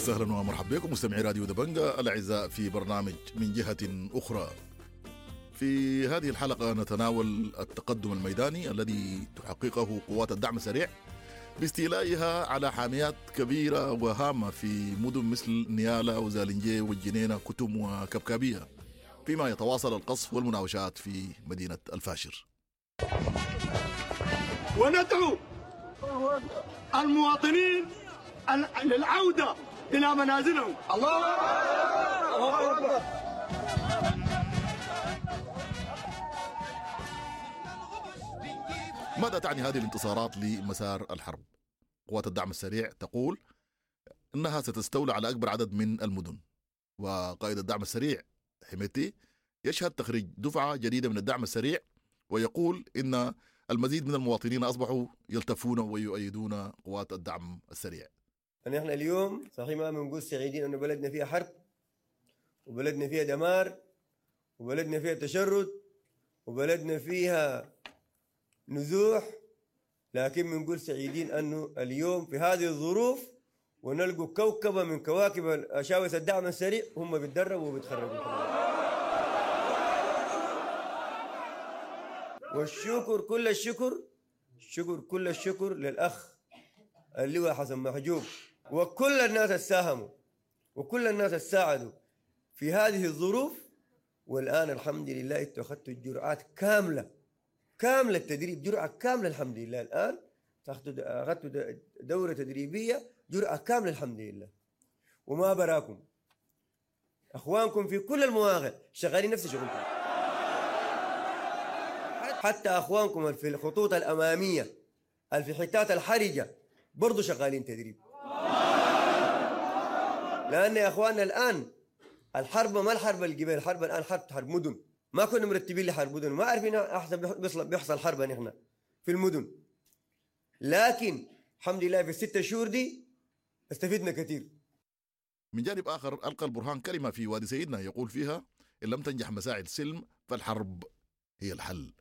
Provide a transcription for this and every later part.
وسهلا ومرحبا بكم مستمعي راديو دبنجا الأعزاء في برنامج من جهة أخرى. في هذه الحلقة نتناول التقدم الميداني الذي تحققه قوات الدعم السريع باستيلائها على حاميات كبيرة وهامة في مدن مثل نيالا وزالنجي والجنينة كتم وكبكابية، فيما يتواصل القصف والمناوشات في مدينة الفاشر. وندعو المواطنين للعودة إلى منازلهم. الله أكبر. ماذا تعني هذه الانتصارات لمسار الحرب؟ قوات الدعم السريع تقول إنها ستستولى على أكبر عدد من المدن، وقائد الدعم السريع حميدتي يشهد تخريج دفعة جديدة من الدعم السريع، ويقول إن المزيد من المواطنين أصبحوا يلتفون ويؤيدون قوات الدعم السريع. نحن اليوم صحيح ما بنقول سعيدين أنه بلدنا فيها حرب، وبلدنا فيها دمار، وبلدنا فيها تشرد، وبلدنا فيها نزوح، لكن بنقول سعيدين أنه اليوم في هذه الظروف ونلقوا كوكبة من كواكب أشاوس الدعم السريع هم بيتدربوا وبيتخرجوا. والشكر كل الشكر، شكر كل الشكر للأخ اللواء حسن محجوب وكل الناس الساهموا وكل الناس الساعدوا في هذه الظروف. والآن الحمد لله اتخذتوا الجرعات كاملة، كاملة التدريب، جرعة كاملة الحمد لله. الآن أخذتوا دورة تدريبية جرعة كاملة الحمد لله. وما براكم، أخوانكم في كل المواقع شغالين نفس شغلكم، حتى أخوانكم في الخطوط الأمامية في الحتات الحرجة برضو شغالين تدريب. لأن يا أخواننا الآن الحرب ما الحرب الجبال، الحرب الآن حرب مدن. ما كنا مرتبين لحرب مدن، ما عارفين أحسن بيحصل حرب نحن في المدن، لكن الحمد لله في الستة شهور دي استفدنا كثير. من جانب آخر ألقى البرهان كلمة في وادي سيدنا يقول فيها إن لم تنجح مساعي السلم فالحرب هي الحل.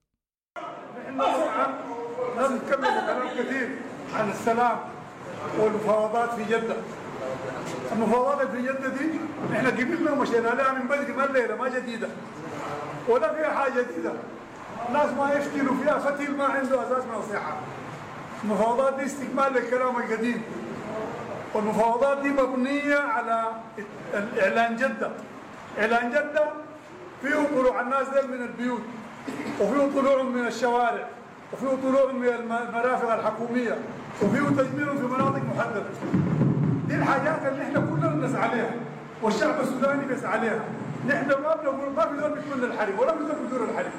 نحن لازم نكمل كلام كثير عن السلام والمفاوضات في جدة. المفاوضات في جدة دي احنا قبلنا ومشينا لها من بدري، ما الليلة ما جديدة ولا فيها حاجة جديدة. الناس ما يفتلوا فيها فتيل ما عنده أساس من الصحة. المفاوضات دي استكمال للكلام القديم، والمفاوضات دي مبنية على إعلان جدة. إعلان جدة فيه طلوع الناس دي من البيوت، وفيه طلوع من الشوارع، وفيه طلوع من المرافق الحكومية، وفيه تجميع في مناطق محددة. دي الحاجات اللي احنا كلنا بنسعى عليها والشعب السوداني بيسعى عليها. نحن ما بنقول ما في زول بيتمنى الحرب ولا في زول بيدور الحرب،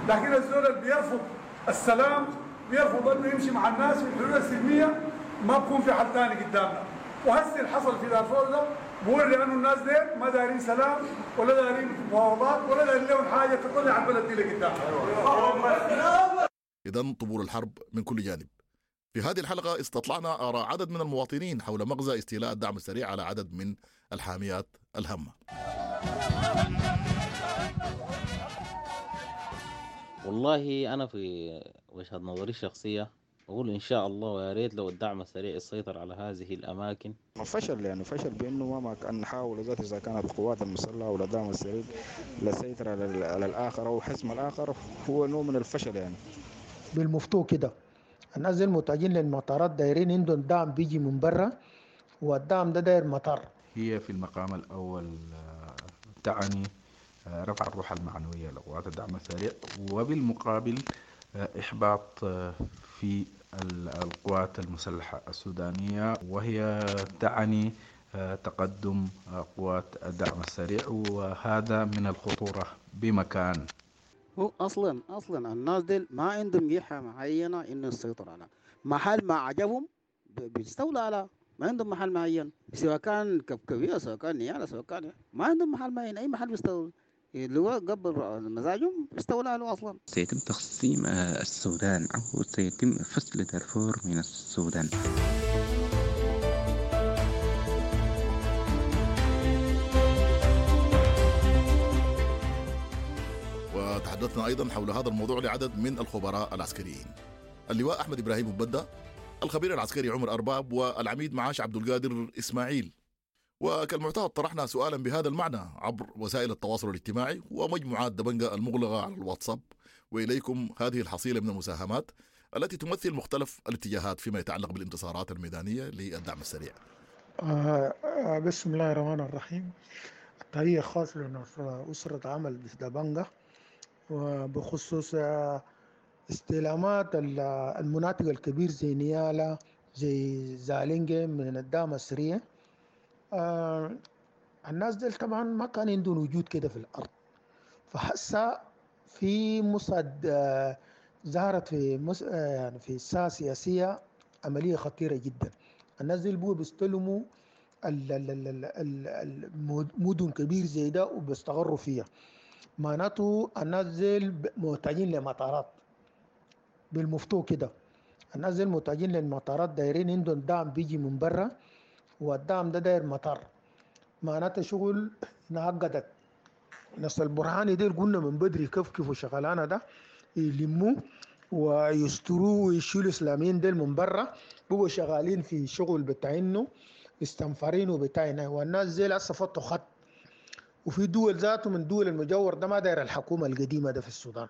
لكن الزول اللي بيرفض السلام، بيرفض انه يمشي مع الناس في الحلول السلمية، ما بكون في حل ثاني قدامنا. وهسه اللي حصل في دارفور ده بوري انه الناس دي ما دايرين سلام ولا دايرين مفاوضات ولا دايرين لهم حاجة تطلع البلد دي لقدام. اذا طبول الحرب من كل جانب. في هذه الحلقة استطلعنا آراء عدد من المواطنين حول مغزى استيلاء الدعم السريع على عدد من الحاميات الهامة. والله أنا في وجهة نظري الشخصية أقول إن شاء الله ويا ريت لو الدعم السريع يسيطر على هذه الأماكن. فشل، يعني فشل بأنه ما كان نحاول ذات إذا كانت القوات المسلحة ولا الدعم السريع للسيطرة على الآخر أو حسم الآخر، هو نوع من الفشل يعني. بالمفتوح كده الناس المتاجين للمطارات دايرين عندهم دعم بيجي من برا، والدعم ده داير مطار. هي في المقام الأول تعني رفع الروح المعنوية لقوات الدعم السريع، وبالمقابل إحباط في القوات المسلحة السودانية، وهي تعني تقدم قوات الدعم السريع، وهذا من الخطورة بمكان. هو أصلا الناس دي ما عندهم جهة معينة إنه يسيطر على محل ما عجبهم بيستولوا على، ما عندهم محل معين، سواء كان كبكبية سواء كان نيالة سواء كان، ما عندهم محل معين، أي محل بيستولوا اللي هو قبل مزاجهم بيستولوا عليه أصلا. سيتم تقسيم السودان أو سيتم فصل دارفور من السودان. وتحدثنا أيضا حول هذا الموضوع لعدد من الخبراء العسكريين، اللواء أحمد إبراهيم مبدة، الخبير العسكري عمر أرباب، والعميد معاش عبد القادر إسماعيل. وكالمعتاد طرحنا سؤالا بهذا المعنى عبر وسائل التواصل الاجتماعي ومجموعات دبنجة المغلقة على الواتساب، وإليكم هذه الحصيلة من المساهمات التي تمثل مختلف الاتجاهات فيما يتعلق بالانتصارات الميدانية للدعم السريع. بسم الله الرحمن الرحيم. تحية خاصة لأسرة عمل دبنجة، وبخصوص استلامات المناطق الكبير زي نيالا زي زالينجي من الدعم السريع. الناس ديل طبعا ما كان عندهم وجود كده في الأرض، فحسا في مصعد ظهرت في يعني في الساحة السياسية عملية خطيرة جدا. الناس ديل بقوا بيستلموا المدن كبير زي ده وبيستقروا فيها، معناته الناس ديل محتاجين لمطارات بالمفتوح كده. الناس ديل محتاجين للمطارات، دايرين عندهم دعم بيجي من برا، والدعم ده داير مطار، معناته شغل انعقدت. ناس البرهاني ديل قلنا من بدري كيف وشغلانه ده يلموا ويستروا ويشيلوا الاسلاميين ديل من برا، بقوا شغالين في شغل بتاع انه استنفرين وبتاعنا، والناس ديل هسه فتوا خط. وفي دول ذاته من دول المجاور ده ما داير الحكومة القديمة ده في السودان،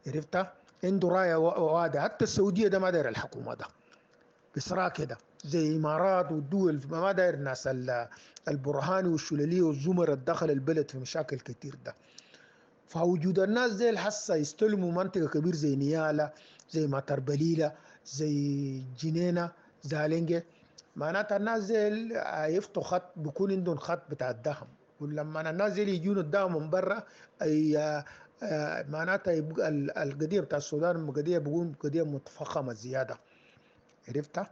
عرفتها؟ عنده رايه واضحة. حتى السعودية ده ما داير الحكومة ده بسرعة كده، زي الامارات والدول ما داير الناس البرهاني والشلاليه والزمر دخل البلد في مشاكل كتير ده. فوجود الناس زي الحسه يستلموا منطقة كبير زي نيالا زي مطر زي جنينة زالينجي، معناتها الناس زي يفتوا خط، بيكون عندهم خط بتاع الدعم، ولما الناس زي يجون الدعم من برا اي معناتها يبقى القضية بتاع السودان قضية بيكون قضية متفخمه زيادة، عرفتها؟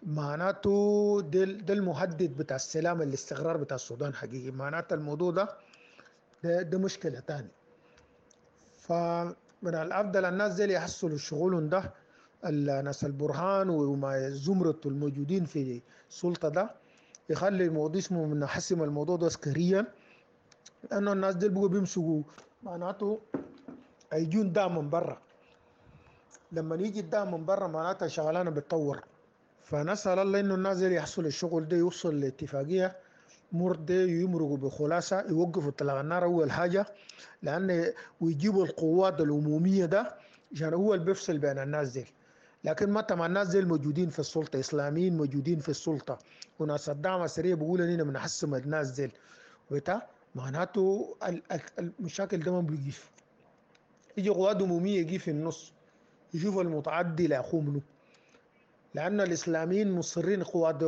معناته ده المهدد بتاع السلام الاستقرار بتاع السودان حقيقي. معناته الموضوع ده مشكلة تاني. فمن الافضل الناس زي اللي يحصلوا شغلهم ده، الناس البرهان وما زمرة الموجودين في السلطة ده، يخلي الموضوع اسمه من حسم الموضوع ده عسكريا، لانه الناس دي بقوا بيمسكوا، معناته هيجون دعم من برا. لما يجي الدعم من برا معناتها شغلانة بتطور. فنسال الله انه الناس اللي يحصل الشغل ده يوصل لاتفاقيه مرضي، يمرقوا بخلاصه، يوقفوا اطلاق النار اول حاجة، لان ويجيبوا القوات العمومية ده عشان هو اللي بيفصل بين الناس دي. لكن متى ما الناس دي موجودين في السلطة، اسلاميين موجودين في السلطة وناس الدعم السريع بيقولوا اننا بنحسم الناس دي وبتاع، معناته المشاكل ده ما بيقف. يجي قوات عموميه يجي في النص يشوف المتعدي لاخوه منه، لان الاسلاميين مصرين قوات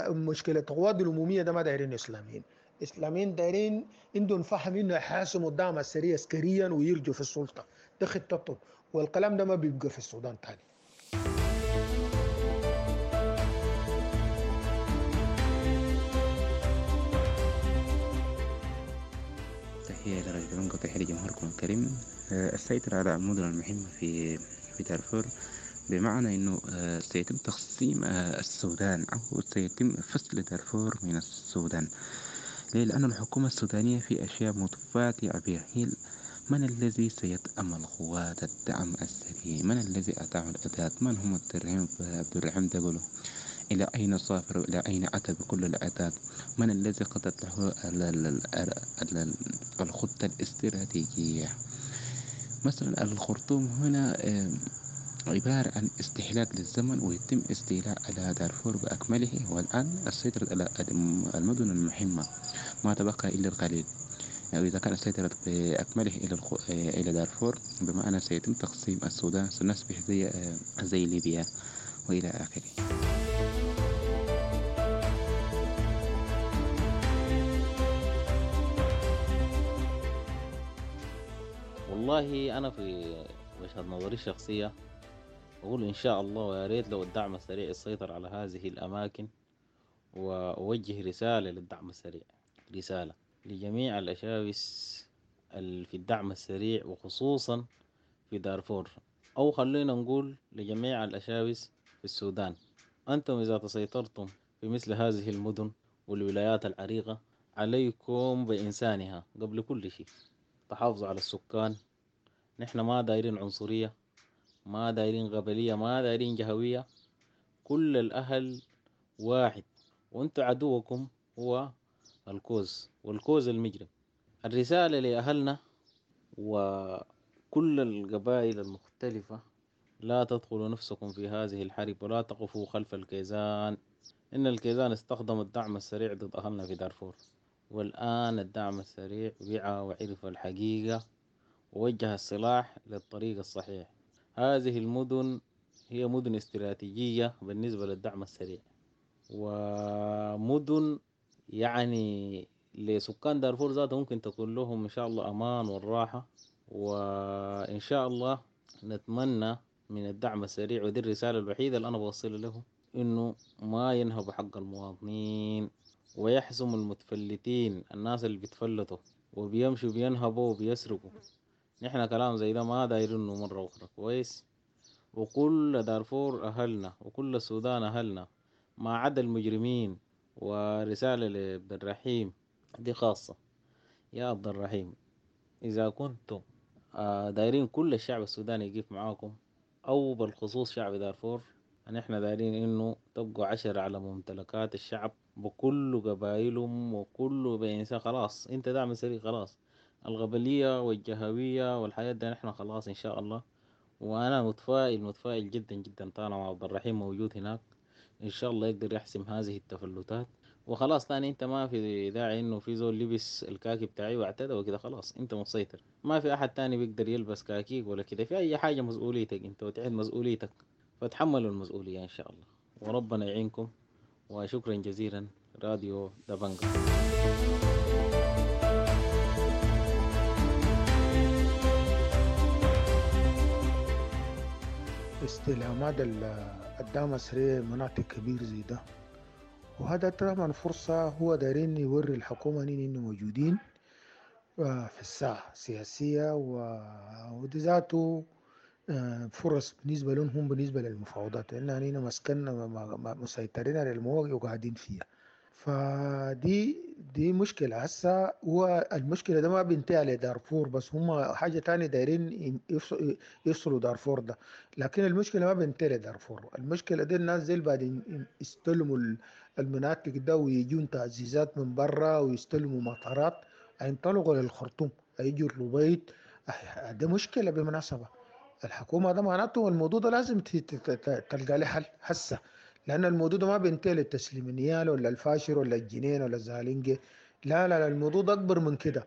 مشكلة القوات العمومية ده ما دايرين اسلاميين، اسلاميين دايرين عندهم فهم انه يحاسموا الدعم السريع عسكريا ويرجوا في السلطة، ده خطتهم، والكلام ده ما بيبقى في السودان تاني. تحية لرجل وتحية لجمهوركم الكريم. السيطرة على المدن المهمة في دارفور بمعنى أنه سيتم تقسيم السودان أو سيتم فصل دارفور من السودان. ليه؟ لأن الحكومة السودانية في أشياء متفاتعة بها. هي من الذي سيتأمل قوات الدعم السريع؟ من الذي أتاه الأداة؟ من هم عبد الرحيم دقلو؟ إلى أين سافر؟ إلى أين أتى بكل الأعداد؟ من الذي قضت له الخطة الاستراتيجية؟ مثلا الخرطوم هنا عبارة عن استهلاك للزمن، ويتم استيلاء على دارفور بأكمله، والآن السيطرة على المدن المهمة ما تبقى إلا القليل. يعني إذا كان السيطرة بأكمله إلى دارفور بمعنى سيتم تقسيم السودان، سنصبح زي ليبيا وإلى آخره. والله أنا في وجهة نظري الشخصية أقول إن شاء الله ويا ريت لو الدعم السريع يسيطر على هذه الأماكن، وأوجه رسالة للدعم السريع، رسالة لجميع الأشاوس في الدعم السريع وخصوصا في دارفور، أو خلينا نقول لجميع الأشاوس في السودان. أنتم إذا تسيطرتم في مثل هذه المدن والولايات العريقة عليكم بإنسانها قبل كل شيء. تحافظوا على السكان. نحن ما دايرين عنصرية، ما دايرين قبلية، ما دايرين جهوية. كل الأهل واحد، وانتوا عدوكم هو الكوز، والكوز المجرم. الرسالة لأهلنا وكل القبائل المختلفة: لا تدخلوا نفسكم في هذه الحرب ولا تقفوا خلف الكيزان. إن الكيزان استخدموا الدعم السريع ضد أهلنا في دارفور، والآن الدعم السريع وعى وعرف الحقيقة ووجه السلاح للطريق الصحيح. هذه المدن هي مدن استراتيجية بالنسبة للدعم السريع، ومدن يعني لسكان دارفور ذاته ممكن تكون لهم إن شاء الله أمان والراحة. وإن شاء الله نتمنى من الدعم السريع، ودي الرسالة الوحيدة اللي أنا بوصلها له، إنه ما ينهبوا حق المواطنين ويحسموا المتفلتين، الناس اللي بيتفلتوا وبيمشوا بينهبوا وبيسرقوا. نحن كلام زي ده ما دايرينه مرة أخرى، كويس؟ وكل دارفور أهلنا وكل السودان أهلنا ما عدا المجرمين. ورسالة لعبد الرحيم دي خاصة: يا عبد الرحيم، إذا كنتم دايرين كل الشعب السوداني يقف معاكم، أو بالخصوص شعب دارفور، نحن دايرين إنه تبقوا 10 على ممتلكات الشعب بكل قبائلهم وكل بإنسان. خلاص أنت دعم سريع، خلاص الغبلية والجهوية والحياة ده نحن خلاص إن شاء الله. وأنا متفائل متفائل جدا جدا طالما عبد الرحيم موجود هناك، إن شاء الله يقدر يحسم هذه التفلتات وخلاص. تاني انت ما في داعي انه في زول لبس الكاكي بتاعي واعتدى وكده، خلاص انت مسيطر، ما في احد تاني بيقدر يلبس كاكيك ولا كده. في اي حاجة مسؤوليتك انت، وتعد مسؤوليتك، فتحملوا المسؤولية ان شاء الله، وربنا يعينكم. وشكرا جزيلا راديو دبنجا. استلامات الدعم السريع مناطق كبير زي ده، وهذا طبعا فرصة هو دايرين يوري الحكومة إنه موجودين في الساحة السياسية، ودي ذاته فرص بالنسبة لهم هم بالنسبة للمفاوضات، لأن هنا مسكننا مسيطرين على المواقع وقاعدين فيها. فدي دي مشكلة هسه. هو المشكلة ده ما بينتهي على دارفور بس، هم حاجة تانية دايرين يفصلوا دارفور ده، لكن المشكلة ما بينتهي لدارفور. المشكلة دي الناس زي بعدين يستلموا المناطق ده ويجون تعزيزات من برا ويستلموا مطارات، هينطلقوا للخرطوم، هيجوا الربيط. ده مشكلة بالمناسبة. الحكومة ده معناته الموضوع ده لازم تلقى له حل هسه، لأن الموضوع ده ما بينتهي للتسليم النيال ولا الفاشر ولا الجنين ولا الزالنجي، لا لا لا، الموضوع ده أكبر من كده.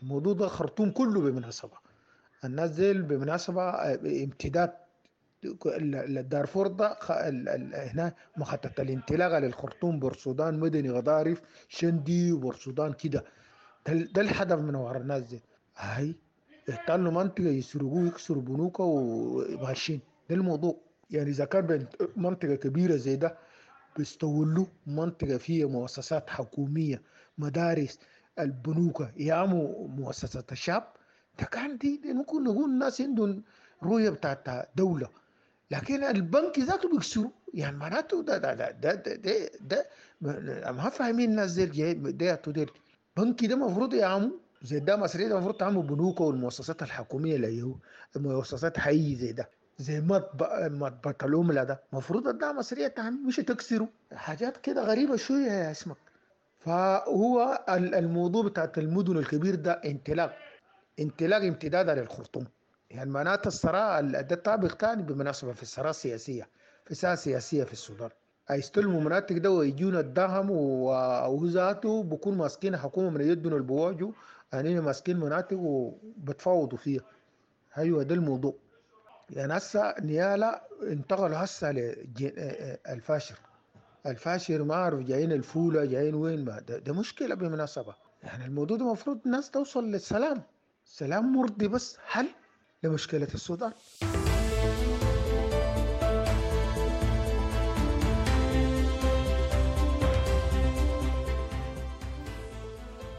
الموضوع ده خرطوم كله بالمناسبة. الناس زي بالمناسبة امتداد الدارفور ده هنا مخطط الانطلاقة للخرطوم، بورسودان، مدني، غضارف، شندي وبورسودان كده. ده الهدف من وراء الناس دي. هاي احتلوا منطقة يسرقوه يكسروا بنوكه وماشيين. ده الموضوع. يعني إذا كان منطقة كبيرة زي ده بيستولوا منطقة فيها مؤسسات حكومية، مدارس، البنوك، يامو مؤسسات الشعب، ده كان دي ممكن نقول الناس عندهم رؤية بتاعت دولة، لكن البنك ذاته بيكسروا. يعني معناته ده ده ده ده ده, ده, ده ما فاهمين الناس زي ده ديل. بنك ده المفروض يعمو زي ده مصرية، ده المفروض تعمل بنوك والمؤسسات الحكومية اللي هو مؤسسات حي زي ده، زي مطبخ العملة ده المفروض الدعم السريع تعمل، مش تكسره. حاجات كده غريبة شوية يا اسمك. فهو الموضوع بتاعت المدن الكبير ده انطلاق امتدادا للخرطوم. يعني معناته الثراء ده طابق ثاني بالمناسبة في الثراء السياسية، في الساحة السياسية في السودان. هيستلموا مناطق ده ويجونا الدهم، وذاته بكون ماسكين حكومة من يدنا البواجو، يعني ماسكين مناطق وبتفاوضوا فيها. ايوه ده الموضوع. يعني هسه نيالا انتقلوا هسه للفاشر، الفاشر ما اعرف جايين الفولة جايين وين، ما ده مشكلة بالمناسبة. يعني الموضوع ده المفروض الناس توصل للسلام، سلام مرضي بس حل لمشكلة السودان.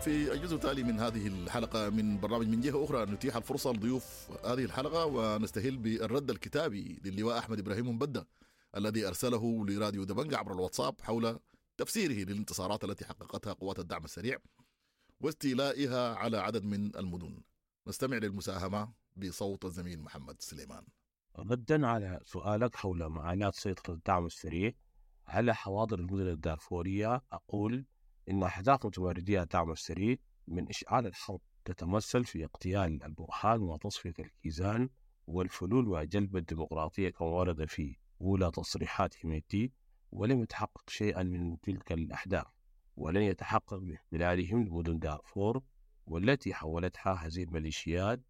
في الجزء التالي من هذه الحلقة من برنامج من جهة أخرى نتيح الفرصة لضيوف هذه الحلقة ونستهل بالرد الكتابي للواء أحمد إبراهيم مبدة الذي أرسله لراديو دبنجا عبر الواتساب حول تفسيره للانتصارات التي حققتها قوات الدعم السريع واستيلائها على عدد من المدن. نستمع للمساهمة بصوت الزميل محمد سليمان. ردا على سؤالك حول معاناة سيطرة الدعم السريع على حواضر المدن الدارفورية، أقول إن أهداف متمردي الدعم السريع من إشعال الحرب تتمثل في اغتيال البرهان وتصفية الكيزان والفلول وجلب الديمقراطية كما ورد في أولى تصريحات حميدتي، ولم يتحقق شيئا من تلك الأهداف، ولن يتحقق باحتلالهم لمدن دارفور والتي حولتها هذه الميليشيات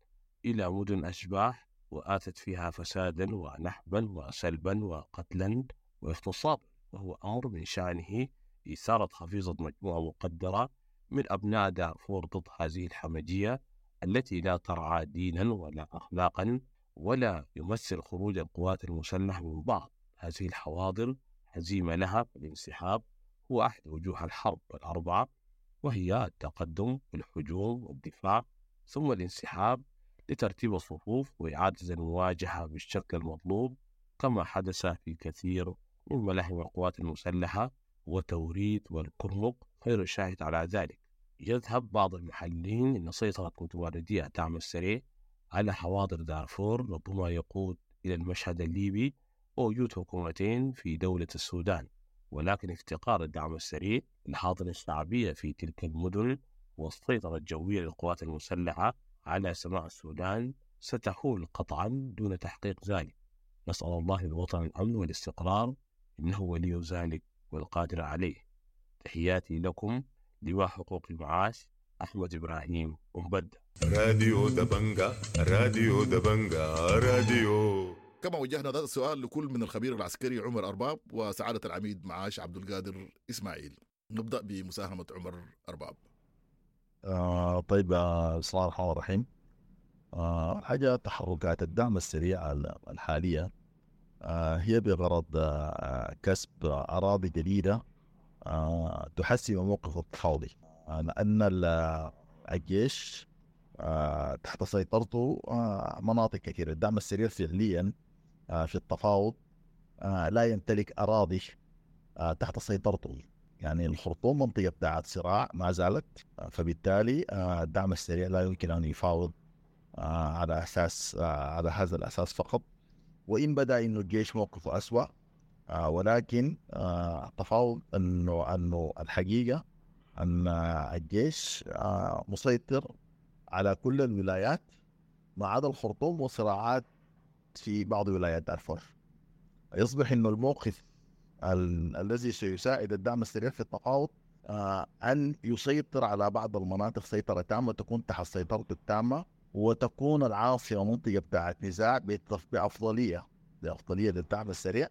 إلى مدن أشباح وآتت فيها فسادا ونهبا وسلبا وقتلا واغتصابا، وهو أمر من شأنه إثارة حفيظة مجموعة مقدرة من أبناء دارفور ضد هذه الحمجية التي لا ترعى دينا ولا أخلاقا، ولا يمثل خروج القوات المسلحة من بعض هذه الحواضر هزيمة لها. الانسحاب هو أحد وجوه الحرب الأربعة، وهي التقدم والهجوم والدفاع ثم الانسحاب لترتيب الصفوف وإعادة المواجهة بالشكل المطلوب، كما حدث في كثير من ملاحم القوات المسلحة وتوريد والكرمك خير شاهد على ذلك. يذهب بعض المحللين إن سيطرة متمردي الدعم السريع على حواضر دارفور ربما يقود إلى المشهد الليبي ووجود حكومتين في دولة السودان، ولكن افتقار الدعم السريع للحاضنة الشعبية في تلك المدن والسيطرة الجوية للقوات المسلحة على سماء السودان ستحول قطعا دون تحقيق ذلك. نسأل الله للوطن الأمن والاستقرار، إنه ولي ذلك والقادر عليه. تحياتي لكم لواء حقوق المعاش أحمد إبراهيم أمبدة. راديو دبنجا، راديو دبنجا، راديو. كما وجهنا هذا السؤال لكل من الخبير العسكري عمر أرباب وسعادة العميد معاش عبد القادر إسماعيل. نبدأ بمساهمة عمر أرباب. طيب، بسم الله الرحمن الرحيم. حاجة تحركات الدعم السريع الحالية هي بغرض كسب أراضي جديدة تحسن موقف التفاوضي، لأن الجيش تحت سيطرته مناطق كثيرة. الدعم السريع فعليا في التفاوض لا يمتلك أراضي تحت سيطرته، يعني الخرطوم منطقة بتاعت صراع ما زالت، فبالتالي الدعم السريع لا يمكن أن يفاوض على أساس على هذا الأساس فقط، وإن بدأ إنه الجيش موقفه أسوأ، ولكن التفاوض أنه الحقيقة أن الجيش مسيطر على كل الولايات ما عدا الخرطوم وصراعات في بعض ولايات دارفور. يصبح إنه الموقف الذي سيساعد الدعم السريع في التفاوض أن يسيطر على بعض المناطق سيطرة تامة، تكون تحت سيطرته التامة، وتكون العاصمة منطقة بتاعت نزاع بأفضلية للدعم السريع،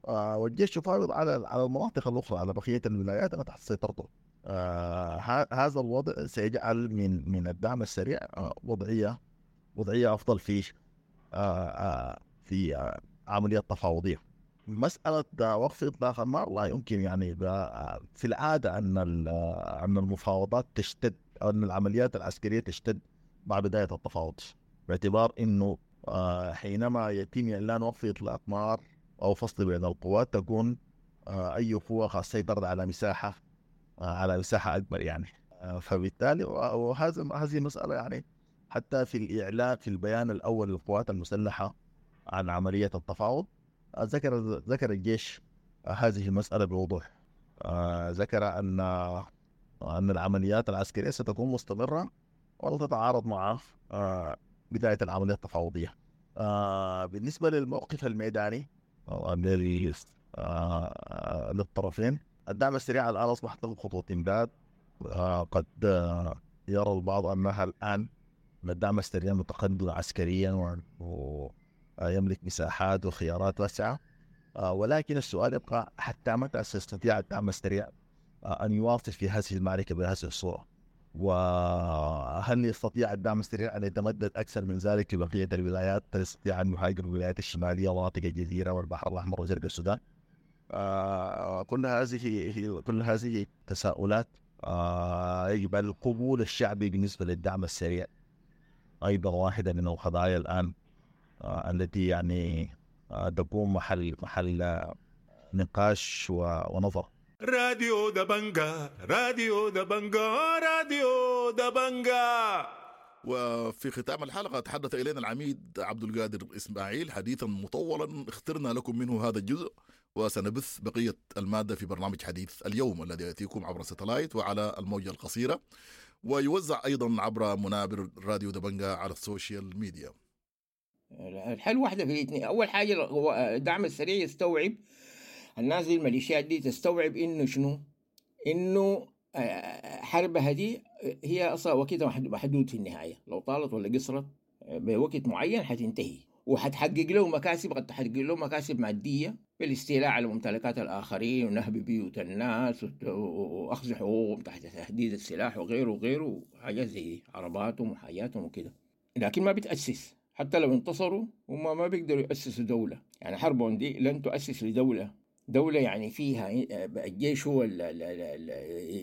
والجيش يفاوض على المناطق الأخرى، على بقية الولايات التي تحت سيطرته. هذا الوضع سيجعل من الدعم السريع وضعية أفضل في عملية تفاوضية. مسألة وقف إطلاق النار لا يمكن، يعني في العادة أن المفاوضات تشتد أو أن العمليات العسكرية تشتد مع بداية التفاوض، باعتبار أنه حينما يتم إعلان وقف إطلاق نار أو فصل بين القوات تكون أي قوة خاصة سيطرت على مساحة أكبر يعني. فبالتالي وهذه مسألة يعني حتى في الإعلان في البيان الأول للقوات المسلحة عن عملية التفاوض ذكر الجيش هذه المسألة بوضوح. ذكر أن العمليات العسكرية ستكون مستمرة ولا تتعارض مع بداية العملية التفاوضية. بالنسبة للموقف الميداني للطرفين، الدعم السريع الآن أصبحت له خطوة إمداد. قد يرى البعض أنها الآن الدعم السريع متقدم عسكريا ويملك مساحات وخيارات واسعة، ولكن السؤال يبقى حتى متى سيستطيع الدعم السريع أن يواصل في هذه المعركة بهذه الصورة؟ وهل يستطيع الدعم السريع أن يتمدد أكثر من ذلك في بقية الولايات؟ هل يستطيع أن يهاجر الولايات الشمالية ومناطق الجزيرة والبحر الأحمر وشرق السودان؟ كل هذه تساؤلات يجب القبول الشعبي بالنسبة للدعم السريع أيضا واحدة من القضايا الآن التي يعني تكون محل نقاش ونظر. راديو دبنجا، راديو دبنجا، راديو دبنجا. وفي ختام الحلقة تحدث إلينا العميد عبد القادر إسماعيل حديثا مطولا اخترنا لكم منه هذا الجزء، وسنبث بقية المادة في برنامج حديث اليوم الذي يأتيكم عبر ستلايت وعلى الموجة القصيرة، ويوزع أيضا عبر منابر راديو دبنجا على ال social media. الحل واحدة في الاثنين. أول حاجة هو الدعم السريع يستوعب، الناس دي الميليشيات دي تستوعب إنه شنو؟ إنه حربها دي هي أصلا وقتها محدود في النهاية، لو طالت ولا قصرت بوقت معين حتنتهي، وحتحقق له مكاسب، قد تحقق له مكاسب مادية بالاستيلاء على ممتلكات الآخرين ونهب بيوت الناس وأخذ حقوقهم تحت تهديد السلاح وغيره وغيره وحاجات زي دي، عرباتهم وحاجاتهم وكده. لكن ما بتأسس، حتى لو انتصروا هم ما بيقدروا يأسسوا دولة. يعني حربهم دي لن تؤسس لدولة، دولة يعني فيها الجيش هو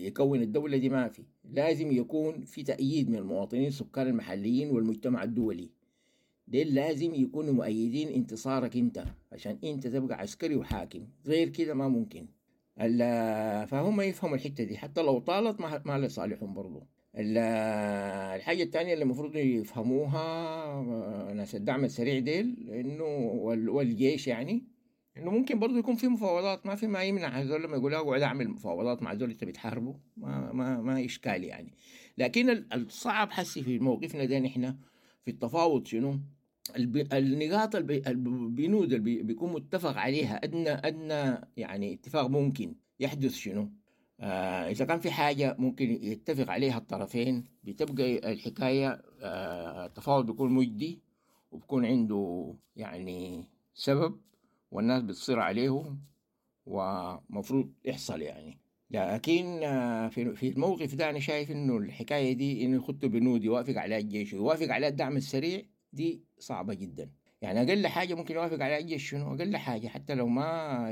يكون الدولة دي، ما في. لازم يكون في تأييد من المواطنين السكان المحليين والمجتمع الدولي، ديل لازم يكونوا مؤيدين انتصارك انت عشان انت تبقى عسكري وحاكم، غير كده ما ممكن. فهم يفهموا الحتة دي حتى لو طالت ما لصالحهم برضو. الحاجة الثانية اللي المفروض يفهموها ناس الدعم السريع ديل انه والجيش يعني انه ممكن برضو يكون في مفاوضات، ما في ما يمنع هذول لما يقولوا اقعد اعمل مفاوضات مع هذول انت بتحاربوا، ما اشكال يعني. لكن الصعب حسي في موقفنا ده نحن في التفاوض شنو؟ النقاط البنود اللي بيكون متفق عليها ادنى يعني اتفاق ممكن يحدث شنو؟ إذا كان في حاجة ممكن يتفق عليها الطرفين بتبقى الحكاية التفاوض بيكون مجدي وبكون عنده يعني سبب والناس بتصير عليه ومفروض يحصل يعني. لكن في الموقف ده أنا شايف إنه الحكاية دي إنه يخطوا بنود يوافق عليها الجيش ويوافق عليها الدعم السريع دي صعبة جدا. يعني أقل حاجة ممكن يوافق عليها الجيش شنو؟ أقل حاجة حتى لو ما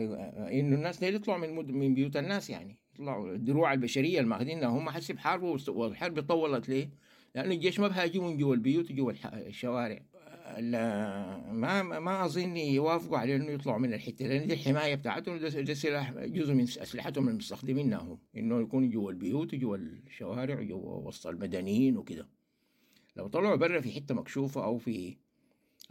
إنه الناس دي يطلعوا من بيوت الناس، يعني يطلعوا الدروع البشرية اللي ماخذينها هم حسب حرب، والحرب طولت ليه؟ لأنه الجيش ما بهاجمهم جوا البيوت وجوا الشوارع. ما أظن يوافقوا على إنه يطلعوا من الحتة، لأن دي الحماية بتاعتهم، ده سلاح جزء من أسلحتهم المستخدمينها هم، إنه يكونوا جوا البيوت وجوا الشوارع وجوا وسط المدنيين وكده. لو طلعوا برا في حتة مكشوفة أو في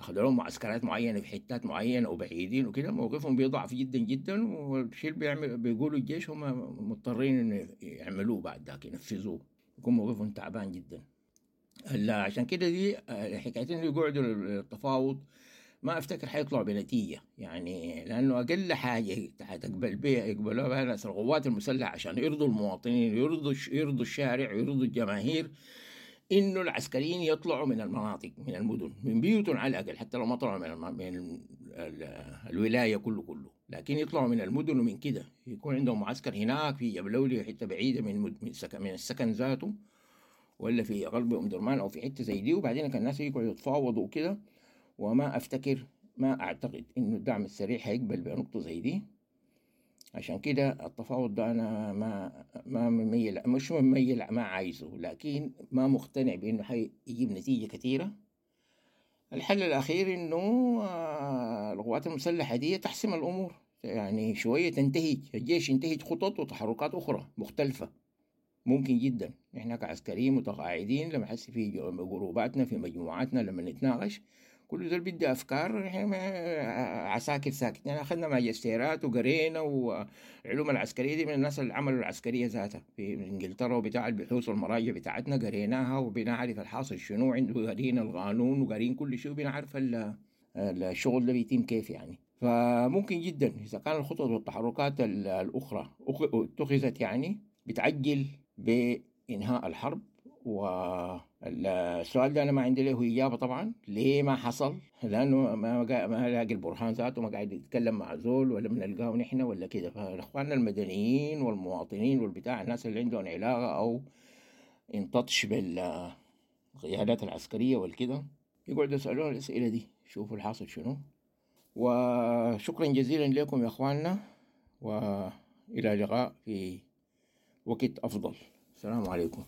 أخذوا لهم معسكرات معينة في حتات معينة أو بعيدين وكده، موقفهم بيضعف جدا جدا، والشيء اللي بيقولوا الجيش هم مضطرين إنه يعملوه بعد ذاك ينفذوه، يكون موقفهم تعبان جدا. عشان كده دي حكايتين اللي يقعدوا للتفاوض ما افتكر حيطلعوا بنتيجة يعني، لأنه أقل حاجة تقبل بها يقبلوها بها ناس القوات المسلحة عشان يرضوا المواطنين، يرضوا الشارع، ويرضوا الجماهير، إنه العسكريين يطلعوا من المناطق من المدن من بيوتهم على الأقل، حتى لو ما طلعوا من الولاية كله، لكن يطلعوا من المدن ومن كده يكون عندهم معسكر هناك في جبلولي حتة بعيدة من السكن ذاته، ولا في غرب أم درمان أو في حتة زي دي، وبعدين كان الناس يقعدوا يتفاوضوا وكده. وما أفتكر ما أعتقد إنه الدعم السريع هيقبل بنقطة زي دي. عشان كده التفاوض ده أنا ما مميل، مش مميل، ما عايزه، لكن ما مقتنع بإنه حيجيب نتيجة كثيرة. الحل الأخير إنه القوات المسلحة دي تحسم الأمور يعني شوية، تنتهج الجيش ينتهج خطط وتحركات أخرى مختلفة ممكن جدا. احنا كعسكريين متقاعدين لما حس في جروباتنا في مجموعاتنا لما نتناقش كل زول بيدي افكار، احنا عساكر ساكت يعني، اخذنا ماجستيرات وقرينا والعلوم العسكريه دي من الناس اللي عملوا العسكريه ذاتها في انجلترا وبتاع البحوث والمراجع بتاعتنا قريناها وبنعرف الحاصل شنو عنده، قارين القانون وقارين كل شيء وبنعرف الشغل ده بيتم كيف يعني. فممكن جدا اذا كان الخطط والتحركات الاخرى اتخذت يعني بتعجل بإنهاء الحرب. والسؤال ده أنا ما عندي له إجابة طبعا ليه ما حصل، لأنه ما لاقي البرهان ذاته، ما قاعد يتكلم مع زول ولا بنلقاه نحن ولا كده. فالإخوان المدنيين والمواطنين والبتاع الناس اللي عندهم علاقة أو انتطش بالقيادات العسكرية والكده يقعدوا يسألون الأسئلة دي، شوفوا الحاصل شنو. وشكرا جزيلا لكم يا أخواننا، وإلى لقاء في وقت أفضل. السلام عليكم.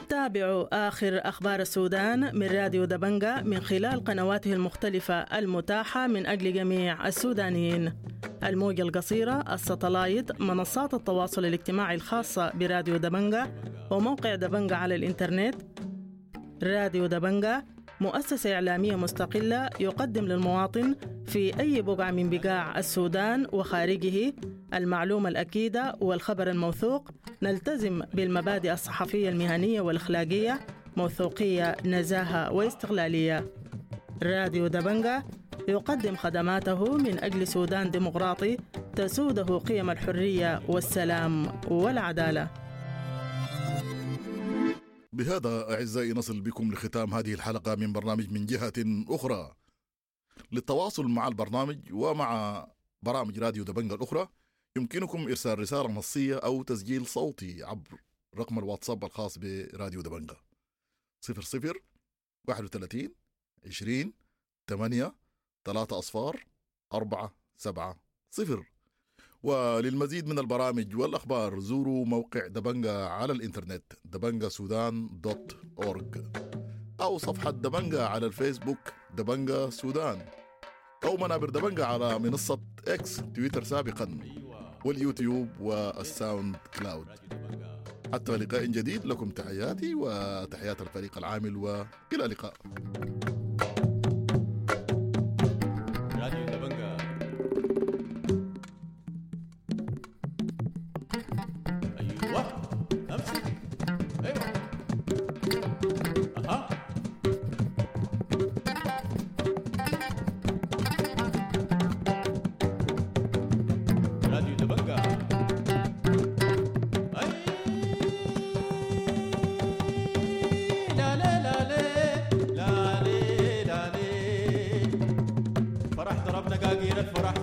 تابعوا آخر أخبار السودان من راديو دبنجا من خلال قنواته المختلفة المتاحة من أجل جميع السودانيين. الموجة القصيرة، الستلايت، منصات التواصل الاجتماعي الخاصة براديو دبنجا، وموقع دبنجا على الإنترنت. راديو دبنجا مؤسسة إعلامية مستقلة يقدم للمواطن في أي بقعة من بقاع السودان وخارجه المعلومة الأكيدة والخبر الموثوق. نلتزم بالمبادئ الصحفية المهنية والأخلاقية، موثوقية، نزاهة واستقلالية. راديو دبنجا يقدم خدماته من أجل سودان ديمقراطي تسوده قيم الحرية والسلام والعدالة. بهذا أعزائي نصل بكم لختام هذه الحلقة من برنامج من جهة أخرى. للتواصل مع البرنامج ومع برامج راديو دبنجا الأخرى يمكنكم إرسال رسالة نصية أو تسجيل صوتي عبر رقم الواتساب الخاص براديو دبنجا 00 31 20 8 3 أصفار 4 7 0. وللمزيد من البرامج والأخبار زوروا موقع دبنجا على الإنترنت دبنجا سودان dot org، أو صفحة دبنجا على الفيسبوك دبنجا سودان، أو منابر دبنجا على منصة إكس تويتر سابقا، واليوتيوب والساوند كلاود. حتى لقاء جديد، لكم تحياتي وتحيات الفريق العامل، وإلى اللقاء. راديو دبنجا. ايوه امسك، ايوه، اها. راديو دبنجا. أي لا لا لا لا لا لا لا. فرح ضربنا قاقير الفرح.